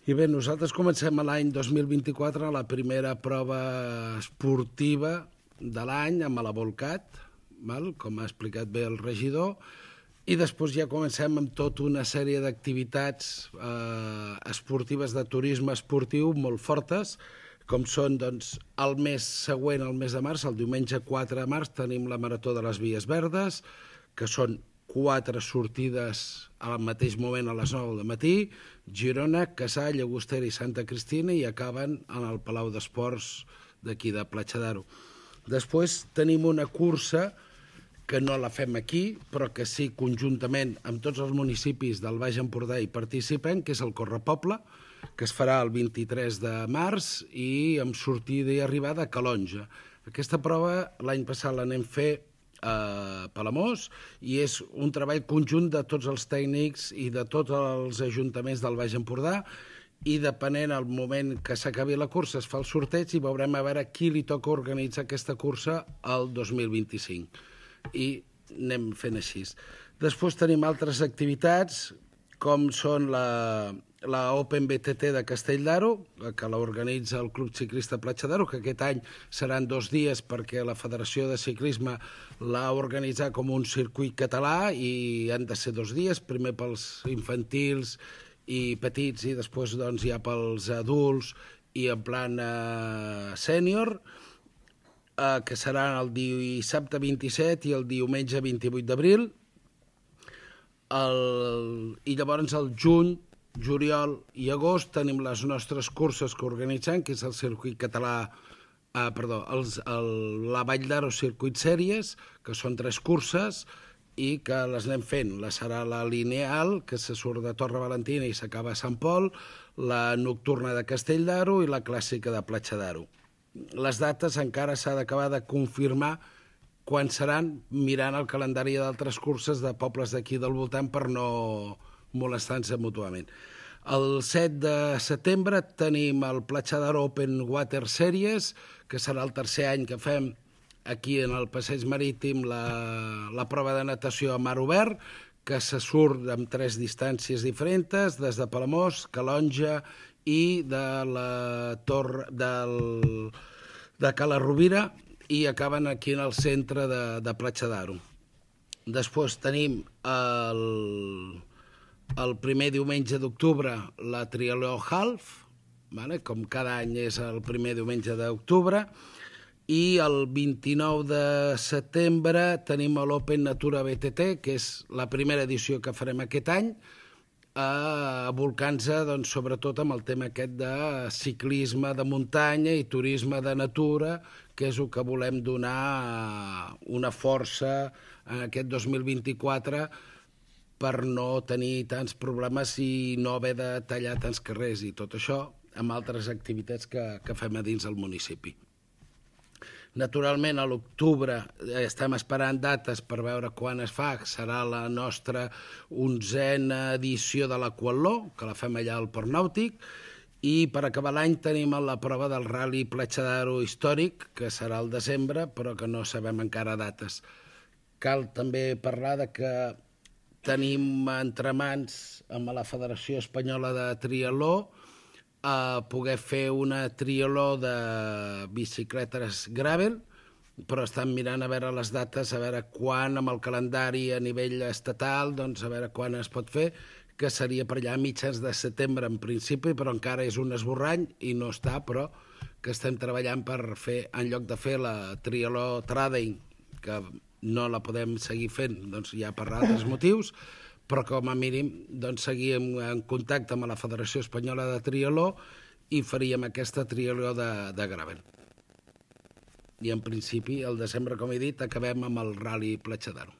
I bé, nosaltres comencem l'any 2024 la primera prova esportiva de l'any amb la Volcat, com ha explicat bé el regidor, i després ja comencem amb tota una sèrie d'activitats esportives de turisme esportiu molt fortes, com són doncs, el mes següent, el mes de març, el diumenge 4 de març, tenim la Marató de les Vies Verdes, que són 4 sortides al mateix moment a les 9 del matí, Girona, Cassà, Llagostera i Santa Cristina, i acaben en el Palau d'Esports d'aquí de Platja d'Aro. Després tenim una cursa que no la fem aquí, però que sí conjuntament amb tots els municipis del Baix Empordà hi participen, que és el Correpoble, que es farà el 23 de març i amb sortida i arribada a Calonja. Aquesta prova l'any passat l'anem fer a Palamós i és un treball conjunt de tots els tècnics i de tots els ajuntaments del Baix Empordà, i depenent del moment que s'acabi la cursa es fa el sorteig i veurem a veure qui li toca organitzar aquesta cursa el 2025. I anem fent així. Després tenim altres activitats, com són la Open BTT de Castell d'Aro, que l'organitza el Club Ciclista Platja d'Aro, que aquest any seran 2 dies perquè la Federació de Ciclisme l'ha organitzat com un circuit català i han de ser 2 dies, primer pels infantils i petits i després doncs, ja pels adults i en plan sènior, que seran el dissabte 27 i el diumenge 28 d'abril. I llavors el juny, juliol i agost tenim les nostres curses que organitzem, que és el circuit català, la Vall d'Aro Circuit Sèries, que són 3 curses i que les anem fent. Serà la lineal, que se surt de Torre Valentina i s'acaba a Sant Pol, la nocturna de Castell d'Aro i la clàssica de Platja d'Aro. Les dates encara s'ha d'acabar de confirmar quan seran, mirant el calendari d'altres curses de pobles d'aquí del voltant per no molestar-se mútuament. El 7 de setembre tenim el Platja d'Aro Open Water Series, que serà el 3è any que fem aquí en el passeig marítim la prova de natació a mar obert, que se surt amb 3 distàncies diferents, des de Palamós, Calonja i de la Torre de Cala Rovira, i acaben aquí en el centre de Platja d'Aro. Després tenim el primer diumenge d'octubre la Triatló Half, com cada any és el primer diumenge d'octubre, i el 29 de setembre tenim l'Open Natura BTT, que és la primera edició que farem aquest any, volcant-se sobretot amb el tema aquest de ciclisme de muntanya i turisme de natura, que és el que volem donar una força en aquest 2024 per no tenir tants problemes i no haver de tallar tants carrers i tot això amb altres activitats que fem a dins del municipi. Naturalment, a l'octubre estem esperant dates per veure quan es fa. Serà la nostra 11a edició de l'Aquatló, que la fem allà al Port Nàutic, i per acabar l'any tenim la prova del Rally Platja d'Aro històric, que serà al desembre, però que no sabem encara dates. Cal també parlar de que tenim entre mans amb la Federació Espanyola de Triatló poder fer una triatló de bicicletes gravel, però estan mirant a veure les dates, a veure quan amb el calendari a nivell estatal, doncs a veure quan es pot fer, que seria per allà a mitjans de setembre en principi, però encara és un esborrany i no està, però que estem treballant per fer, en lloc de fer la triatló Trading, que no la podem seguir fent ja per altres motius, però com a mínim seguíem en contacte amb la Federació Espanyola de Triatló i faríem aquesta triatló de gravel. I en principi, al desembre, com he dit, acabem amb el Rally Platja d'Aro.